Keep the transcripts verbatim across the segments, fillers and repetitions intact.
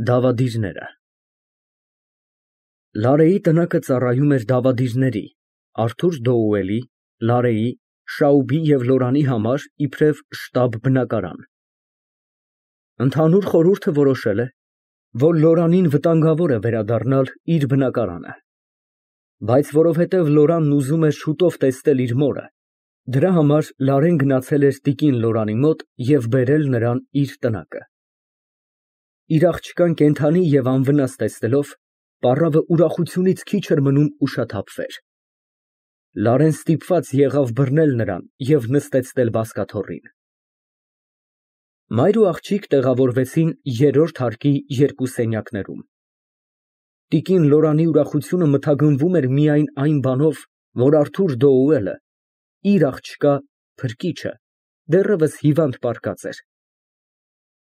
Դավադիրները Լարեի տնակը ծառայում էր դավադիրների՝ Արթուր Դոուելի, Լարեի, Շաուբի և Լորանի համար իբրև շտաբ բնակարան։ Ընդհանուր խորհուրդը որոշել է, որ Լորանին վտանգավոր է վերադառնալ իր բնակարանը, բայց որովհետև Լորանն ուզում էր շուտով տեսնել իր մորը, դրա համար Լարեն գնացել էր տիկին Լորանի մոտ և բերել նրան իր տնակը։ Իր աղջկան կենդանի և անվնաս տեսնելով, պառավը ուրախությունից քիչ էր մնում ուշաթափվեր։ Լարեն ստիպված եղավ բռնել նրան և նստեցնել բազկաթոռին։ Մայր ու աղջիկ տեղավորվեցին երրորդ հարկի երկու սենյակներում։ Տիկին Լորանի ուրախությունը մթագնվում էր միայն այն բանով, որ Արթուր Դոուելը, իր աղջկա փրկիչը, դեռևս հիվանդ պառկած էր։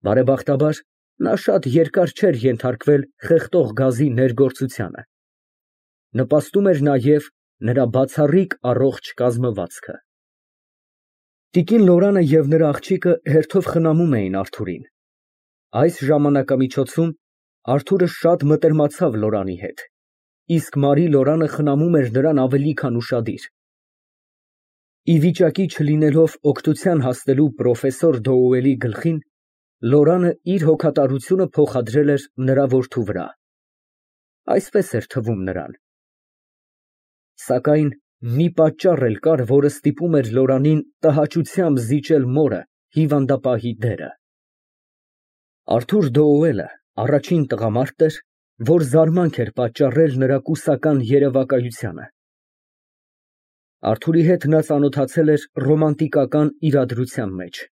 Բարեբախտաբար, նա շատ երկար չէր ենթարկվել խեղդող գազի ներգործությանը։ Նպաստում էր նաև նրա բացառիկ առողջ կազմվածքը։ Տիկին Լորանը և նրա աղջիկը հերթով խնամում էին Արթուրին։ Այս ժամանակամիջոցում Արթուրը շատ մտերմացավ Լորանի հետ, իսկ Մարի Լորանը խնամում էր նրան ավելի քան ուշադիր։ Ի վիճակի չլինելով օգնության հասնելու պրոֆեսոր Դոուելի գլխին, Լորանը իր հոգատարությունը փոխադրել էր նրա որդու վրա։ Այսպես էր թվում նրան։ Սակայն մի պատճառ էլ կար, որը ստիպում էր Լորանին տհաճությամբ զիջել մորը հիվանդապահի դերը։ Արթուր Դոուելը առաջին տղամարդն էր, որ զարմանք էր պատճառել նրա կուսական երևակայությանը։ Արթուրի հետ նա ծանոթացել էր ռոմանտիկական իրադրության մեջ։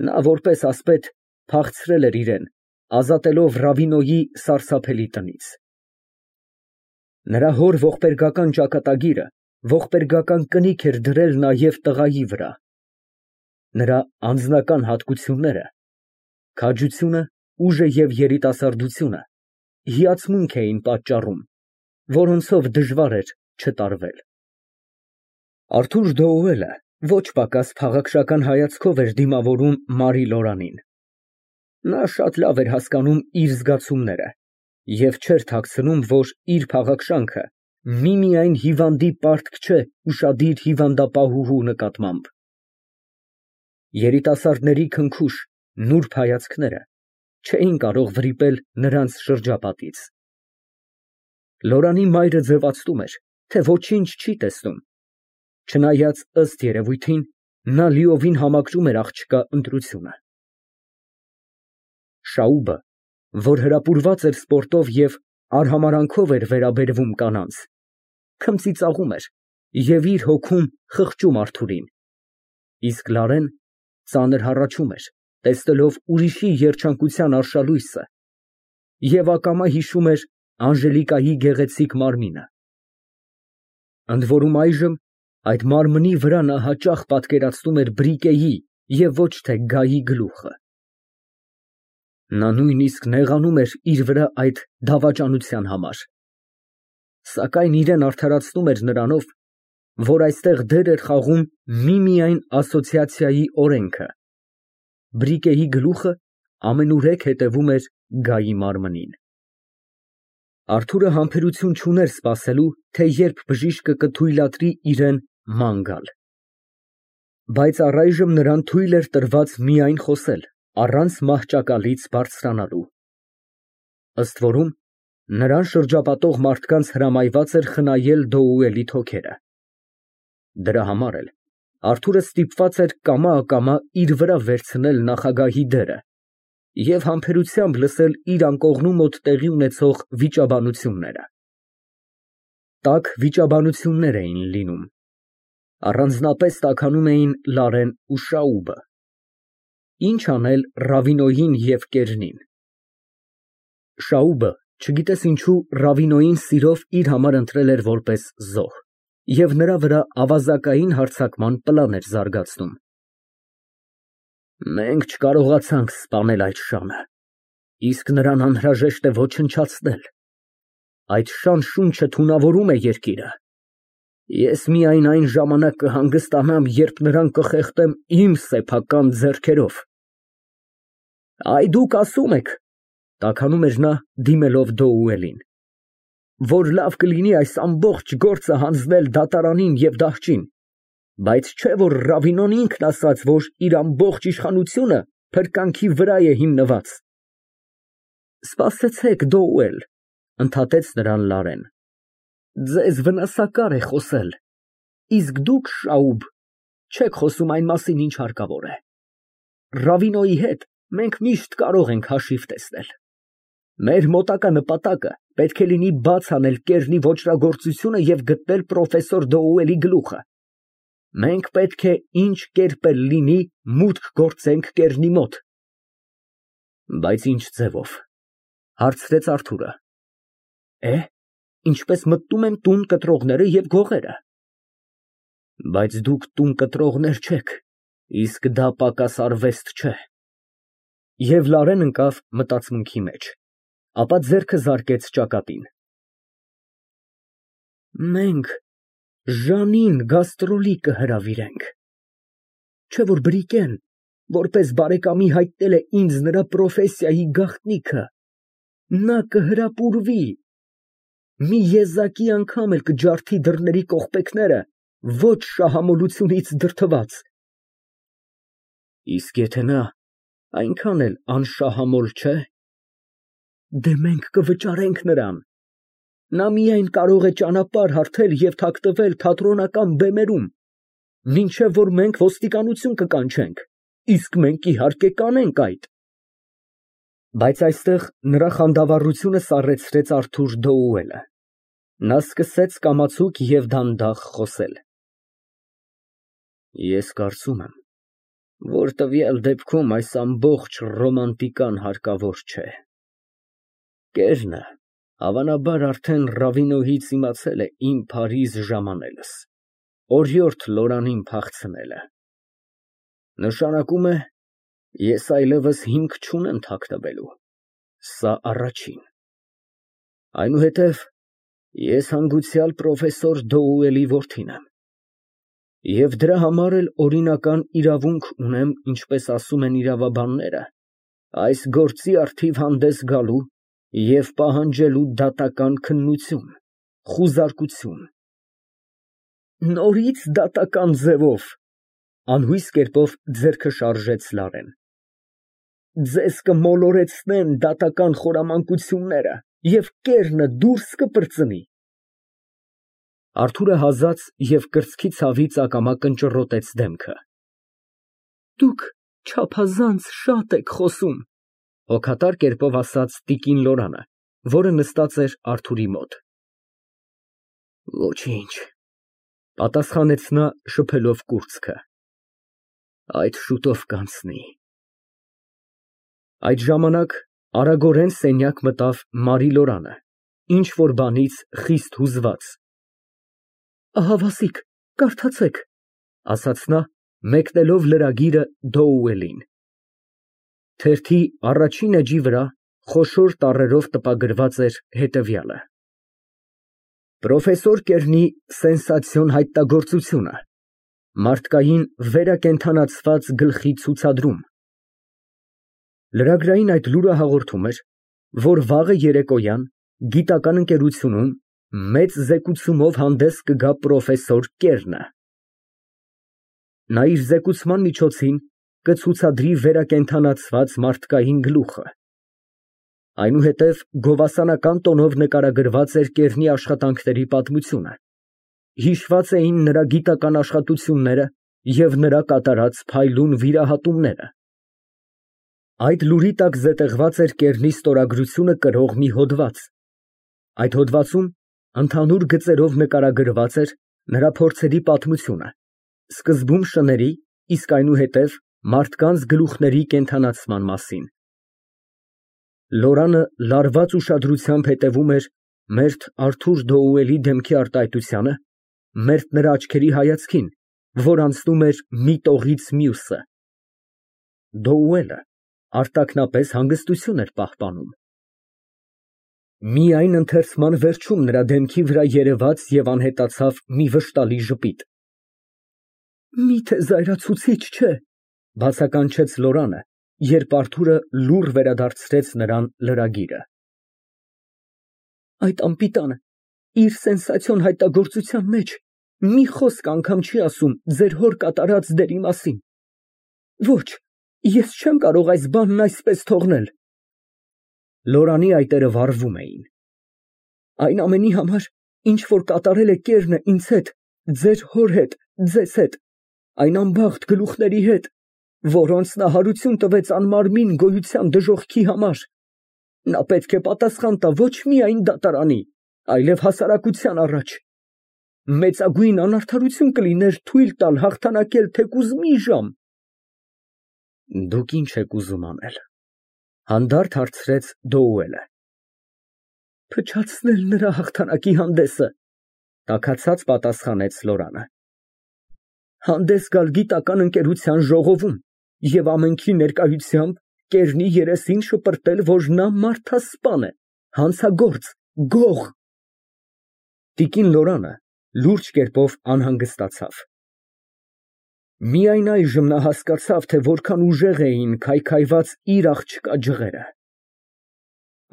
Նա որպես ասպետ փախցրել էր իրեն, ազատելով Ռավինոյի սարսափելի տնից։ Նրա հոր ողբերգական ճակատագիրը ողբերգական կնիք էր դրել նաև տղայի վրա։ Նրա անձնական հատկությունները՝ քաջությունը, ուժը և երիտասարդությունը, հիացմունք էին պատճառում, որոնցով դժվար էր չտարվել։ Արթուր Դոուելը ոչ պակաս փաղաքշական հայացքով էր դիմավորում Մարի Լորանին։ Նա շատ լավ էր հասկանում իր զգացումները և չէր թաքցնում, որ իր փաղաքշանքը միմիայն հիվանդի պարտք չէ ուշադիր հիվանդապահուհու նկատմամբ։ Երիտասարդների քնքուշ, նուրբ հայացքները չէին կարող վրիպել նրանց շրջապատից։ Լորանի մայրը ձևացնում էր, թե ոչինչ չի տեսնում, չնայած, ըստ երևույթին, նա լիովին համակրում էր աղջկա ընտրությունը։ Շաուբը, որ հրապուրված էր սպորտով և արհամարհանքով էր վերաբերվում կանանց, քմծիծաղում էր և իր հոգում խղճում Արթուրին, իսկ Լարեն ծանր հառաչում էր, տեսնելով ուրիշի երջանկության արշալույսը և ակամա հիշում էր Անժելիկայի գեղեցիկ մարմինը։ Ընդ որում այժմ այդ մարմնի վրա նա հաճախ պատկերացնում էր Բրիկեի և ոչ թե Գայի գլուխը։ Նա նույնիսկ նեղանում էր իր վրա այդ դավաճանության համար, սակայն իրան արդարացնում էր նրանով, որ այստեղ դեր էր խաղում միմիայն ասոցիացիայի օրենքը. Բրիկեի գլուխը ամենուրեք հետևում էր Գայի մարմնին։ Արթուրը համբերություն չուներ սպասելու, թե երբ բժիշկը կթույլատրի իրան ման գալ։ Բայց առայժմ նրան թույլ էր տրված միայն խոսել, առանց մահճակալից բարձրանալու։ Ըստ որում, նրան շրջապատող մարդկանց հրամայված էր խնայել Դոուելի թոքերը։ Դրա համար էլ Արթուրը ստիպված էր կամա֊ակամա իր վրա վերցնել նախագահի դերը և համբերությամբ լսել իր անկողնու մոտ տեղի ունեցող վիճաբանությունները։ Տաք վիճաբանություններ էին լինում։ Առանձնապես տաքանում էին Լարեն ու Շաուբը։ Ինչ անել Ռավինոյին և Կերնին։ Շաուբը, չգիտես ինչու, Ռավինոյին սիրով իր համար ընտրել էր որպես զոհ և նրա վրա ավազակային հարձակման պլան էր զարգացնում։ Մենք չկարողացանք սպանել այդ շանը, իսկ նրան անհրաժեշտ է ոչնչացնել։ Այդ շան շունչը թունավորում է երկիրը։ Ես միայն այն ժամանակ կհանգստանամ, երբ նրան կխեղդեմ իմ սեփական ձեռքերով։ Այ դուք ասում եք, Տաքանում էր նա, դիմելով Դոուելին, որ լավ կլինի այս ամբողջ գործը հանձնել դատարանին և դահճին, բայց չէ որ Ռավինոն ինքն ասաց, որ իր ամբողջ իշխանությունը փրկանքի վրա է հիմնված։ Սպասեցեք, Դոուել, ընդհատեց նրան Լարեն, ձեզ վնասակար է խոսել, իսկ դուք, Շաուբ, չեք խոսում այն մասին, ինչ հարկավոր է։ Ռավինոյի հետ մենք միշտ կարող ենք հաշիվ տեսնել։ Մեր մոտակա նպատակը պետք է լինի բաց անել Կեռնի ոճրագործությունը և գտնել պրոֆեսոր Դոուելի գլուխը։ Մենք պետք է ինչ կերպ էլ լինի մուտք գործենք Կեռնի մոտ։ Բայց ինչ ձևով, հարցրեց Արթուրը։ Է, ինչպես մտնում են տուն կտրողները և գողերը։ Բայց դուք տուն կտրողներ չեք, իսկ դա պակաս արվեստ չէ։ Եվ Լարեն ընկավ մտածմունքի մեջ, ապա ձեռքը զարկեց ճակատին։ Մենք Ժանին գաստրոլի կհրավիրենք, չէ որ Բրիկեն, որպես բարեկամի հայտնել է ինձ նրա պրոֆեսիայի գաղտնիքը, նա կհրապուրվի, մի եզակի անգամ էլ կջարդի դռների կողպեքները, ոչ շահամոլությունից դրդված։ Իսկ եթե նա այնքան էլ անշահամոլ չէ, դե մենք կվճարենք նրան, նա միայն կարող է ճանապարհ հարթել և թաքնվել թատրոնական բեմերում, մինչև որ մենք ոստիկանություն կկանչենք, իսկ մենք իհարկե կանենք այդ։ Բայց այստեղ նրա խանդավառությունը սառեցրեց Արթուր Դոուելը, նա սկսեց կամացուկ և դանդաղ խոսել։ Ես կարծում եմ, որ տվյալ դեպքում այս ամբողջ ռոմանտիկան հարկավոր չէ։ Կեռնը հավանաբար արդեն Ռավինոյից իմացել է իմ Փարիզ ժամանելս, օրիորդ Լորանին փախցնելը։ Նշանակում է, ես այլևս հիմք չունեմ թաքնվելու, սա առաջին։ Այնուհետև ես հանգուցյալ պրոֆեսոր Դոուելի որդին եմ, և դրա համար էլ օրինական իրավունք ունեմ, ինչպես ասում են իրավաբանները, այս գործի առթիվ հանդես գալու և պահանջելու դատական քննություն, խուզարկություն։ Նորից դատական ձևով, անհույս կերպով ձեռքը շարժեց Լարեն, ձեզ կմոլորեցնեն դատական խորամանկությունները և Կեռնը դուրս կպրծնի։ Արթուրը հազաց և կրծքի ցավից ակամա կնճռոտեց դեմքը։ Դուք չափազանց շատ եք խոսում, հոգատար կերպով ասաց տիկին Լորանը, որը նստած էր Արթուրի մոտ։ Ոչինչ, պատասխանեց նա շփելով կուրծքը, այդ շուտով կանցնի։ Այդ ժամանակ արագորեն սենյակ մտավ Մարի Լորանը, ինչ֊որ բանից խիստ հուզված։ Ահավասիկ, կարդացեք, ասաց նա, մեկնելով լրագիրը Դոուելին։ Թերթի առաջին էջի վրա խոշոր տառերով տպագրված էր հետևյալը. Պրոֆեսոր Կեռնի սենսացիոն հայտնագործությունը, մարդկային վերակենդանացված գլխի ցուցադրում։ Լրագրային այդ լուրը հաղորդում էր, որ վաղը երեկոյան գիտական ընկերությունում մեծ զեկուցումով հանդես կգա պրոֆեսոր Կեռնը։ Նա իր զեկուցման միջոցին կցուցադրի վերակենդանացված մարդկային գլուխը։ Այնուհետև գովասանական տոնով նկարագրված էր Կեռնի աշխատանքների պատմությունը, հիշված էին նրա գիտական աշխատությունները և նրա կատարած փայլուն վիրահատումները։ Այդ լուրի տակ զետեղված էր Կեռնի ստորագրությունը կրող մի հոդված։ Այդ հոդվածում ընդհանուր գծերով նկարագրված էր նրա փորձերի պատմությունը, սկզբում շների, իսկ այնուհետև մարդկանց գլուխների կենդանացման մասին։ Լորանը լարված ուշադրությամբ հետևում էր մերթ Արթուր Դոուելի դեմքի արտահայտությանը, մերթ նրա աչքերի հայացքին, որ անցնում էր մի տողից մյուսը։ Դոուելը արտաքնապես հանգստություն էր պահպանում։ Միայն ընթերցման վերջում նրա դեմքի վրա երևաց և անհետացավ մի վշտալի ժպիտ։ Մի՞թե զայրացուցիչ չէ, բացականչեց Լորանը, երբ Արթուրը լուռ վերադարձրեց նրան լրագիրը։ Այդ անպիտանը իր սենսացիոն հայտնագործության մեջ մի խոսք անգամ չի ասում ձեր հոր կատարած դերի մասին։ Ոչ, ես չեմ կարող այս բանն այսպես թողնել։ Լորանի այտերը վառվում էին։ Այն ամենի համար, ինչ որ կատարել է Կերնը ինձ հետ, ձեր հոր հետ, ձեզ հետ, այն անբախտ գլուխների հետ, որոնց նա հարություն տվեց անմարմին գոյության դժոխքի համար, նա պետք է պատասխան տա ոչ միայն դատարանի, այլև հասարակության առաջ։ Մեծագույն անարդարություն կլիներ թույլ տալ հաղթանակել թեկուզ մի ժամ։ Դուք ինչ եք ուզում անել, հանդարտ հարցրեց Դոուելը։ Փչացնել նրա հաղթանակի հանդեսը, տաքացած պատասխանեց Լորանը։ Հանդես գալ գիտական ընկերության ժողովում և ամենքի ներկայությամբ Կերնի երեսին շպրտել, որ նա մարդասպան է, հանցագործ, գող։ Տիկին Լորանը լուրջ կերպով անհանգստացավ։ Միայն այժմ նա հասկացավ, թե որքան ուժեղ էին քայքայված իր աղջկա ջղերը։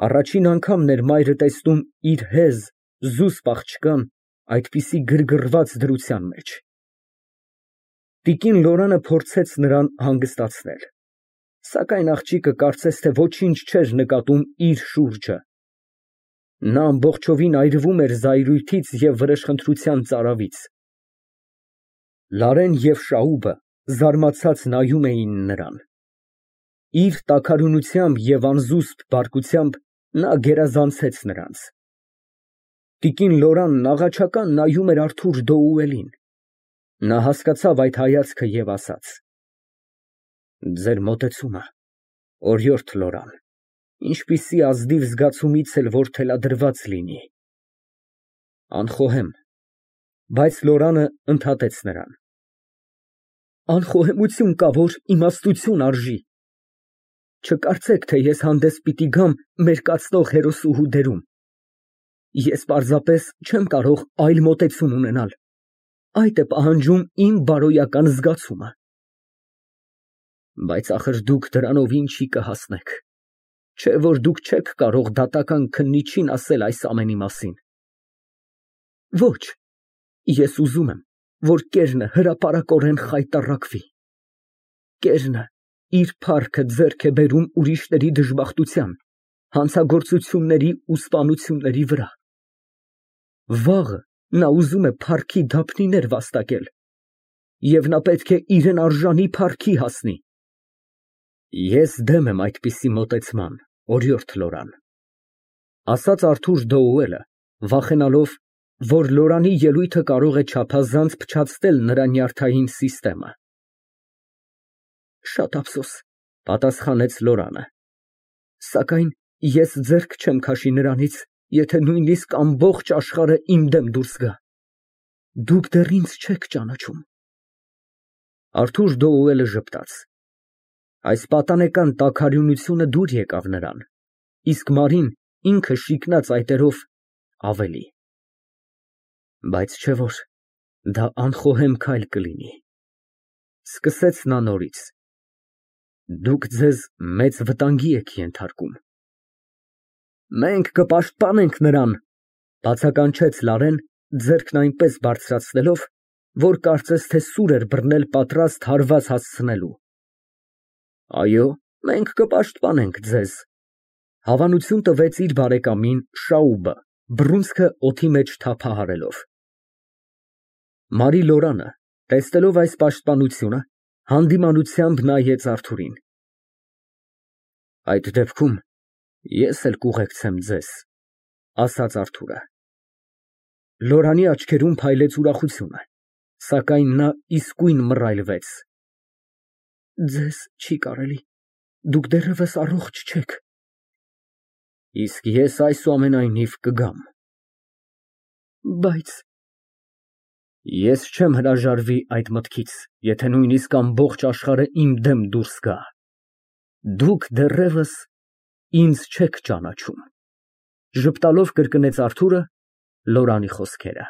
Առաջին անգամն էր մայրը տեսնում իր հեզ, զուսպ աղջկան այդպիսի գրգռված դրության մեջ։ Տիկին Լորանը փորձեց նրան հանգստացնել, սակայն աղջիկը կարծես թե ոչինչ չէր նկատում իր շուրջը։ Նա ամբողջովին այրվում էր զայրույթից և վրեժխնդրության ծարավից։ Լարեն և Շաուբը զարմացած նայում էին նրան։ Իր տաքարյունությամբ և անզուսպ բարկությամբ նա գերազանցեց նրանց։ Տիկին Լորանն աղաչական նայում էր Արթուր Դոուելին։ Նա հասկացավ այդ հայացքը և ասաց. Ձեր մոտեցումը, օրիորդ Լորան, ինչպիսի ազնիվ զգացումից էլ որ թելադրված լինի։ Անխոհեմ, բայց Լորանը ընդհատեց նրան։ Անխոհեմություն կա, որ իմաստություն արժի։ Չկարծեք, թե ես հանդես պիտի գամ մերկացնող հերոսուհու դերում։ Ես պարզապես չեմ կարող այլ մոտեցում ունենալ։ Այդ է պահանջում իմ բարոյական զգացումը։ Բայց ախր դուք դրանով ինչի կհասնեք, չէ՞ որ դուք չեք կարող դատական քննիչին ասել այս ամենի մասին։ Ոչ, ես ուզում եմ, որ Կերնը հրապարակորեն խայտառակվի։ Կերնը իր փառքը ձեռք է բերում ուրիշների դժբախտության, հանցագործությունների ու սպանությունների վրա։ Վաղը նա ուզում է փառքի դափնիներ վաստակել, և նա պետք է իրեն արժանի փառքի հասնի։ Ես դեմ եմ այդպիսի մոտեցման, օրիորդ Լորան, ասաց Արթուր Դոուելը, վախենալով, որ Լորանի ելույթը կարող է չափազանց փչացնել նրա նյարդային սիստեմը։ Շատ ափսոս, պատասխանեց Լորանը, սակայն ես ձեռք չեմ քաշի նրանից, եթե նույնիսկ ամբողջ աշխարհը իմ դեմ դուրս գա։ Դուք դեռ ինձ չեք ճանաչում։ Արթուր Դոուելը ժպտաց։ Այս պատանեկան տաքարյունությունը դուր եկավ նրան, իսկ Մարին ինքը շիկնած այտերով ավելի։ Բայց չէ՞ որ դա անխոհեմ քայլ կլինի։ Սկսեց նա նորից։ Դուք ձեզ մեծ վտանգի եք ենթարկում։ Մենք կպաշտպանենք նրան, բացականչեց Լարեն, ձեռքն այնպես բարձրացնելով, որ կարծես թե սուր էր բռնել պատրաստ հարված հասցնելու։ Այո, մենք կպաշտպանենք ձեզ, հավանություն տվեց իր բարեկամին Շաուբը, բռունցքը օդի մեջ թափահարելով։ Մարի Լորանը, տեսնելով այս պաշտպանությունը, հանդիմանությամբ նայեց Արթուրին։ Այդ դեպքում ես էլ կուղեկցեմ ձեզ, ասաց Արթուրը։ Լորանի աչքերում փայլեց ուրախությունը, սակայն նա իսկույն մռայլվեց։ Ձեզ չի կարելի, դուք դեռևս առողջ չեք։ Իսկ ես այսուամենայնիվ կգամ։ Բայց ես չեմ հրաժարվի այդ մտքից, եթե նույնիսկ ամբողջ աշխարհը իմ դեմ դուրս գա։ Դուք դեռևս ինձ չեք ճանաչում, ժպտալով կրկնեց Արթուրը Լորանի խոսքերը։